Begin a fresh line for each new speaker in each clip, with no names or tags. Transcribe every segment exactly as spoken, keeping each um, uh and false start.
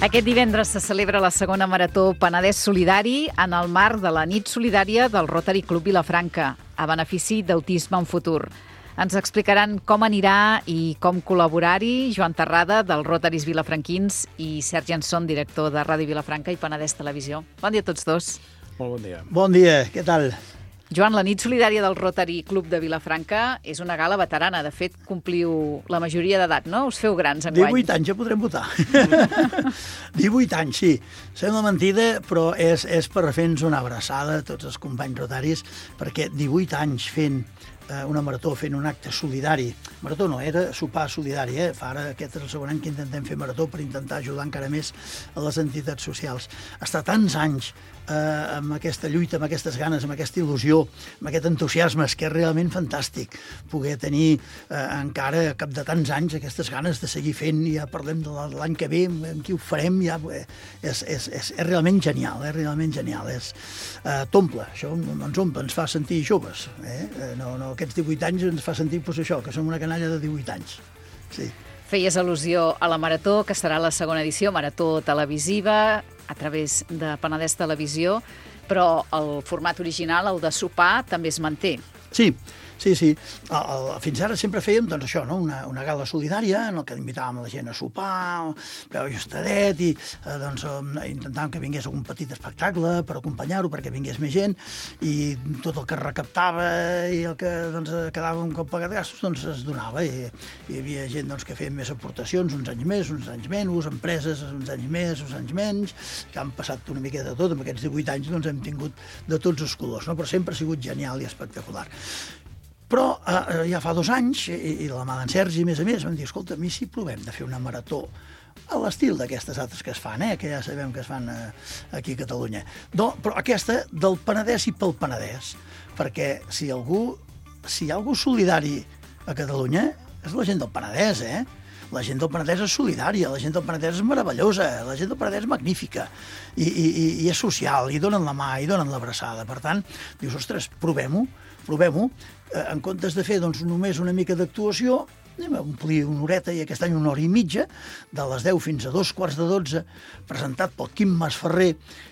Aquest divendres se celebra la segona Marató Penedès Solidari en el marc de la nit solidària del Rotary Club Vilafranca, a benefici d'Autisme en Futur. Ens explicaran com anirà i com col·laborar-hi Joan Terrada, del Rotaris Vilafranquins, i Sergi Anson, director de Ràdio Vilafranca i Penedès Televisió. Bon dia a tots dos.
Molt bon dia.
Bon dia, què tal?
Joan, la nit solidària del Rotary Club de Vilafranca és una gala veterana. De fet, compliu la majoria d'edat, no? Us feu grans enguany.
divuit anys ja podrem votar. divuit anys, sí. Sembla mentida, però és, és per fer-nos una abraçada a tots els companys rotaris, perquè divuit anys fent eh, una marató, fent un acte solidari. Marató no, era sopar solidari, eh? Fa ara aquest és el segon any que intentem fer marató per intentar ajudar encara més a les entitats socials. Estar tants anys Eh, amb aquesta lluita, amb aquestes ganes, amb aquesta il·lusió, amb aquest entusiasme, és que és realment fantàstic poder tenir eh, encara, a cap de tants anys, aquestes ganes de seguir fent. Ja parlem de l'any que ve, amb qui ho farem, ja, eh, és, és, és, és realment genial, és realment genial. És, eh, t'omple, això ens omple, ens fa sentir joves. Eh? No, no, aquests divuit anys ens fa sentir pues, això, que som una canalla de divuit anys. Sí.
Feies al·lusió a la Marató, que serà la segona edició, Marató televisiva, a través de Penedès Televisió, però el format original, el de sopar, també es manté.
Sí, sí, sí. El, el, fins ara sempre fèiem doncs, això, no? una, una gala solidària en què invitàvem la gent a sopar, preu ajustadet, i eh, doncs, intentàvem que vingués algun petit espectacle per acompanyar-ho, perquè vingués més gent, i tot el que recaptava i el que doncs, quedava un cop pagat gastos doncs, es donava. I, hi havia gent doncs, que feien més aportacions, uns anys més, uns anys menys, empreses uns anys més, uns anys menys, que han passat una miqueta de tot. En aquests divuit anys doncs, hem tingut de tots els colors, no? Però sempre ha sigut genial i espectacular. Però eh, ja fa dos anys, i, i la mà d'en Sergi, a més a més, vam dir, escolta, a mi si provem de fer una marató a l'estil d'aquestes altres que es fan, eh, que ja sabem que es fan eh, aquí a Catalunya. No, però aquesta del Penedès i pel Penedès, perquè si algú, si hi ha algú solidari a Catalunya, és la gent del Penedès, eh? La gent del Penedès és solidària, la gent del Penedès és meravellosa, la gent del Penedès és magnífica, i, i, i és social, i donen la mà, i donen l'abraçada. Per tant, dius, ostres, provem-ho, provem-ho, eh, en comptes de fer doncs, només una mica d'actuació, anem a omplir una horeta, i aquest any una hora i mitja, de les deu fins a dos quarts de dotze, presentat pel Quim Masferrer,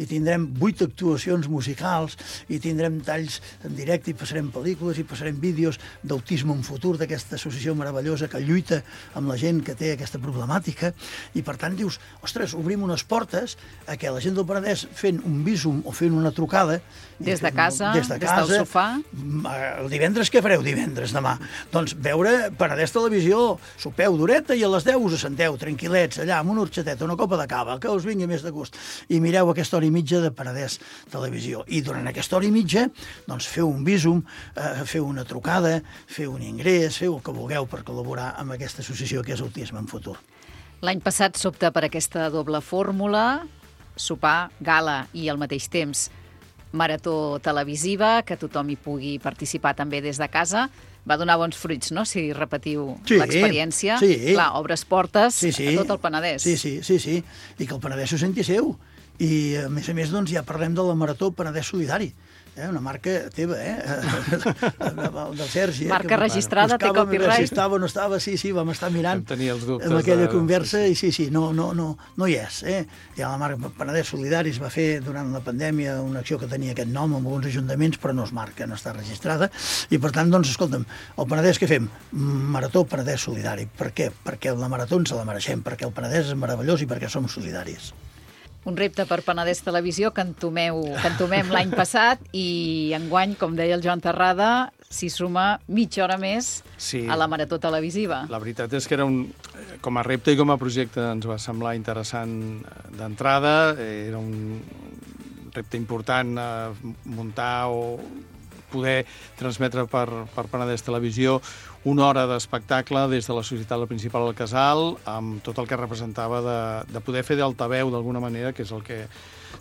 i tindrem vuit actuacions musicals, i tindrem talls en directe, i passarem pel·lícules, i passarem vídeos d'Autisme en Futur, d'aquesta associació meravellosa que lluita amb la gent que té aquesta problemàtica, i per tant dius, ostres, obrim unes portes a que la gent del Penedès fent un bísum o fent una trucada,
des de casa,
des, de casa,
des del sofà.
El divendres què fareu divendres demà? Doncs veure Penedès Televisió, sopeu d'horeta i a les deu us assenteu tranquil·lets allà amb una orxateta, una copa de cava, que us vingui més de gust, i mireu aquesta hora i mitja de Penedès Televisió. I durant aquesta hora i mitja doncs feu un bísum, eh, feu una trucada, feu un ingrés, feu el que vulgueu per col·laborar amb aquesta associació que és Autisme en Futur.
L'any passat s'opta per aquesta doble fórmula, sopar, gala i al mateix temps marató televisiva, que tothom hi pugui participar també des de casa. Va donar bons fruits, no?, si repetiu
sí,
l'experiència.
Sí.
Clar, obres portes
sí, sí.
a tot el Penedès.
Sí, sí, sí, sí, i que el Penedès s'ho senti seu. I, a més a més, doncs, ja parlem de la Marató Penedès Solidari, eh? Una marca teva, eh? del Sergi.
Marca
eh?
registrada, té copyright.
Si estava o no estava, sí, sí, vam estar mirant
els
amb aquella de... conversa, i sí, sí, no, no, no, no hi és. Eh? Ja la marca Penedès Solidari es va fer durant la pandèmia una acció que tenia aquest nom amb alguns ajuntaments, però no es marca, no està registrada, i per tant, doncs, escolta'm, el Penedès què fem? Marató Penedès Solidari. Per què? Perquè la marató ens la mereixem, perquè el Penedès és meravellós i perquè som solidaris.
Un repte per Penedès Televisió que entomeu, que entomem l'any passat, i enguany, com deia el Joan Terrada, s'hi suma mitja hora més sí. a la Marató televisiva.
La veritat és que era un, com a repte i com a projecte ens va semblar interessant d'entrada. Era un repte important eh, muntar o poder transmetre per, per Penedès Televisió una hora d'espectacle des de la Societat La Principal al Casal, amb tot el que representava de, de poder fer d'altaveu d'alguna manera, que és el que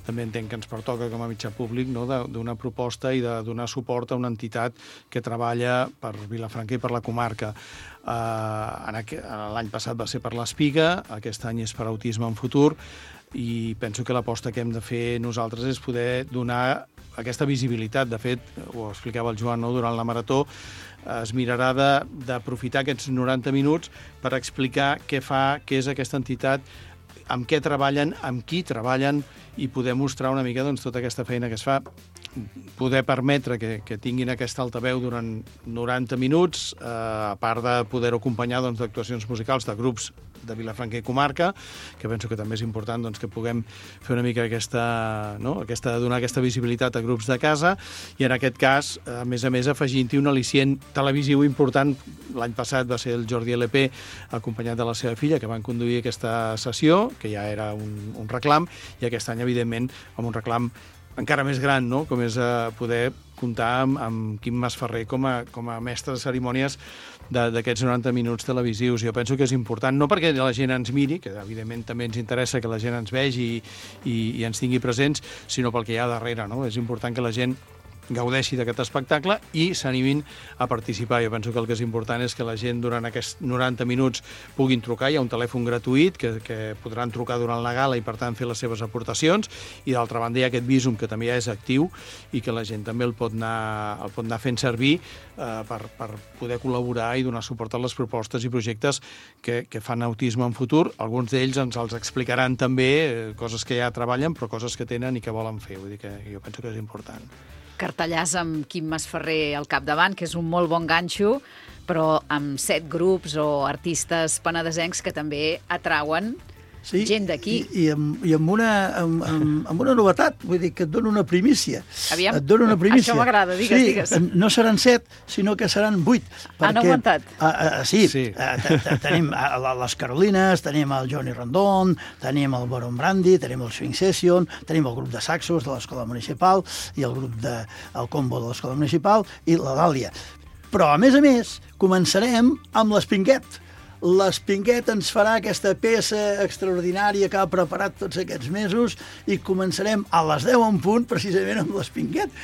també entenc que ens pertoca com a mitjà públic, no? D'una proposta i de donar suport a una entitat que treballa per Vilafranca i per la comarca. Uh, L'any passat va ser per l'Espiga, aquest any és per Autisme en Futur, i penso que l'aposta que hem de fer nosaltres és poder donar aquesta visibilitat. De fet, ho explicava el Joan, no? Durant la marató es mirarà d'aprofitar aquests noranta minuts per explicar què fa, què és aquesta entitat amb què treballen, amb qui treballen, i poder mostrar una mica doncs, tota aquesta feina que es fa, poder permetre que, que tinguin aquesta altaveu durant noranta minuts, eh, a part de poder-ho acompanyar doncs, d'actuacions musicals de grups de Vilafranca i comarca, que penso que també és important doncs, que puguem fer una mica aquesta, no? aquesta, donar aquesta visibilitat a grups de casa, i en aquest cas, a més a més, afegint-hi un al·licient televisiu important. L'any passat va ser el Jordi L P, acompanyat de la seva filla, que van conduir aquesta sessió, que ja era un, un reclam, i aquest any, evidentment, amb un reclam encara més gran, no? Com és eh, poder comptar amb, amb Quim Masferrer com a, com a mestre de cerimònies d'aquests noranta minuts televisius. Jo penso que és important, no perquè la gent ens miri, que evidentment també ens interessa que la gent ens vegi i, i, i ens tingui presents, sinó pel que hi ha darrere, no? És important que la gent gaudeixi d'aquest espectacle i s'animin a participar. Jo penso que el que és important és que la gent durant aquests noranta minuts puguin trucar. Hi ha un telèfon gratuït que, que podran trucar durant la gala i, per tant, fer les seves aportacions, i d'altra banda hi ha aquest Visum, que també ja és actiu i que la gent també el pot anar, el pot anar fent servir eh, per, per poder col·laborar i donar suport a les propostes i projectes que, que fan Autisme en Futur. Alguns d'ells ens els explicaran també, eh, coses que ja treballen, però coses que tenen i que volen fer. Vull dir que jo penso que és important.
Cartellàs amb Quim Masferrer al capdavant, que és un molt bon ganxo, però amb set grups o artistes penedesencs que també atrauen sí, gent d'aquí.
I, i, amb, i amb, una, amb, amb, amb una novetat, vull dir que et dona una primícia.
Aviam,
et dona una primícia.
Això m'agrada, digues,
sí,
digues.
No seran set, sinó que seran vuit.
Perquè, han augmentat?
Uh, uh, sí,
sí.
Uh, tenim uh, les Carolines, tenim el Johnny Rondon, tenim el Baron Brandy, tenim el Swing Session, tenim el grup de saxos de l'Escola Municipal i el grup de el combo de l'Escola Municipal i la Dàlia. Però, a més a més, començarem amb l'Espinguet. L'Espinguet ens farà aquesta peça extraordinària que ha preparat tots aquests mesos i començarem a les deu en punt, precisament amb l'Espinguet,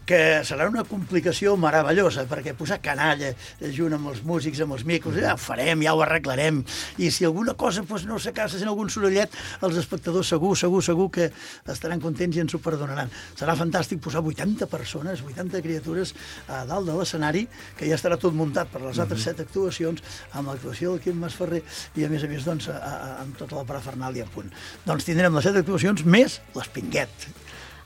que serà una complicació meravellosa, perquè posar canalla junt amb els músics, amb els micros, ja ho farem, ja ho arreglarem, i si alguna cosa doncs, no s'acaba sent algun sorollet, els espectadors segur, segur, segur que estaran contents i ens ho perdonaran. Serà fantàstic posar vuitanta persones, vuitanta criatures a dalt de l'escenari, que ja estarà tot muntat per les altres set actuacions, amb l'actuació del Quim Masferrer i, a més a més, doncs, a, a, amb tota la parafernàlia a punt. Doncs tindrem les set actuacions més l'Espinguet.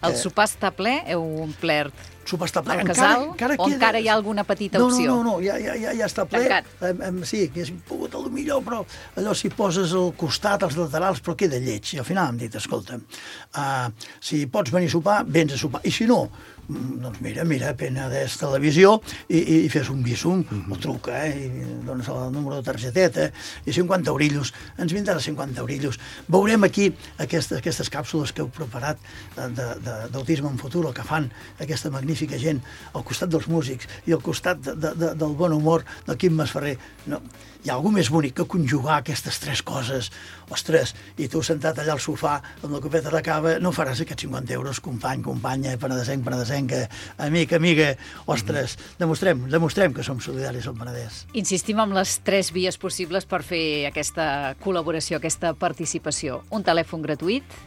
El sopar està ple? Heu omplert
sopar està ple.
el casal?
Encara, encara
o
queda...
encara hi ha alguna petita
no,
opció?
No, no, no, ja, ja, ja, ja està ple. Um, sí, que haguéssim pogut a lo millor, però allò si poses al costat, als laterals, però queda lleig. I al final hem dit, escolta, uh, si pots venir a sopar, vens a sopar. I si no, doncs mira, mira, Penedès Televisió i, i, i fes un Visum, mm-hmm. o truca, eh, i dones el número de targeteta, i cinquanta eurillos, ens vindrà cinquanta eurillos. Veurem aquí aquestes, aquestes càpsules que heu preparat d'Autisme en Futur, el que fan aquesta magnífica gent al costat dels músics i al costat de, de, de, del bon humor del Quim Masferrer. No, hi ha alguna més bonic que conjugar aquestes tres coses. Ostres, i tu sentat allà al sofà amb la copeta de cava, no faràs aquests cinquanta euros, company, companya, penedesenc, penedesenca, amic, amiga. Ostres, demostrem, demostrem que som solidaris al Penedès.
Insistim en les tres vies possibles per fer aquesta col·laboració, aquesta participació. Un telèfon gratuït.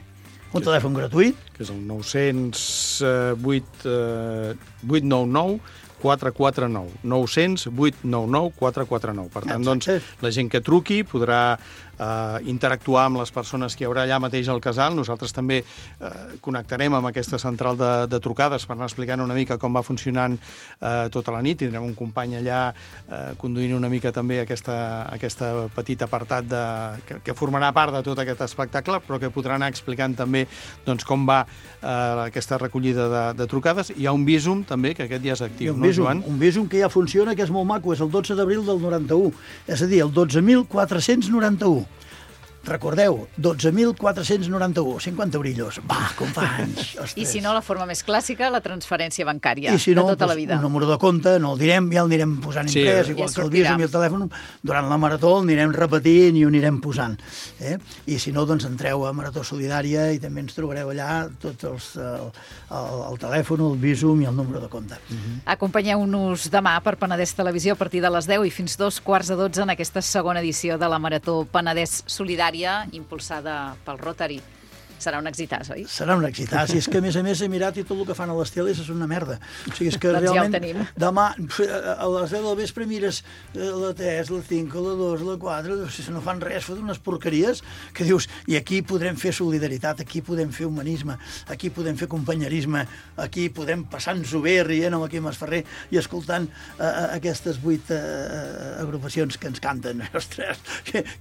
Un telèfon gratuït.
Que és el nou zero vuit vuit nou nou quatre quatre nou. nou zero vuit nou nou quatre quatre nou. Per tant, doncs, la gent que truqui podrà eh, interactuar amb les persones que hi haurà allà mateix al casal. Nosaltres també eh, connectarem amb aquesta central de, de trucades per anar explicant una mica com va funcionant eh, tota la nit. Tindrem un company allà eh, conduint una mica també aquesta, aquesta petit apartat de, que, que formarà part de tot aquest espectacle, però que podrà anar explicant també doncs, com va eh, aquesta recollida de, de trucades. Hi ha un Visum també, que aquest ja és actiu, no, Joan?
Un Visum que ja funciona, que és molt maco, és el dotze d'abril del noranta-u, és a dir, el dotze mil quatre-cents noranta-u. Recordeu, dotze mil quatre-cents noranta-u, cinquanta eurillos. Va, companys! Ostres.
I si no, la forma més clàssica, la transferència bancària,
I si no,
de tota
doncs,
la vida.
Un número de compte, no el direm, ja el anirem posant
sí,
imprès,
ja
igual que el
sortirà.
Visum i el telèfon, durant la marató el anirem repetint i ho anirem posant. Eh? I si no, doncs entreu a Marató Solidària i també ens trobareu allà tots els, el, el, el telèfon, el Visum i el número de compte.
Mm-hmm. Acompanyeu-nos demà per Penedès Televisió a partir de les deu i fins dos quarts de dotze en aquesta segona edició de la Marató Penedès Solidària, impulsada pel Rotary. serà un exitàs, oi?
Serà un exitàs, i és que a més a més he mirat i tot el que fan a les teles és una merda. O sigui, és que
doncs
realment,
ja ho tenim.
Demà, a les deu del vespre mires la tres, la cinc, la dos, la quatre, si no fan res, foten unes porqueries que dius, i aquí podrem fer solidaritat, aquí podem fer humanisme, aquí podem fer companyerisme, aquí podem passar-nos-ho bé rient amb el Quim Masferrer i escoltant uh, aquestes vuit uh, agrupacions que ens canten. Ostres,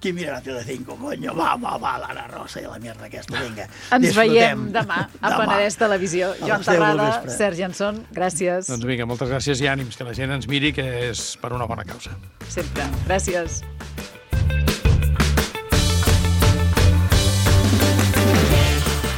qui mirarà Telecinco, conyo? Va, va, va, l'Anna Rosa i la mierda aquesta, vinga.
Ens
disfrutem.
veiem demà a Penedès Televisió. Joan Terrada, Sergi Anson, gràcies.
Doncs vinga, moltes gràcies i ànims, que la gent ens miri, que és per una bona causa.
Sempre. Gràcies.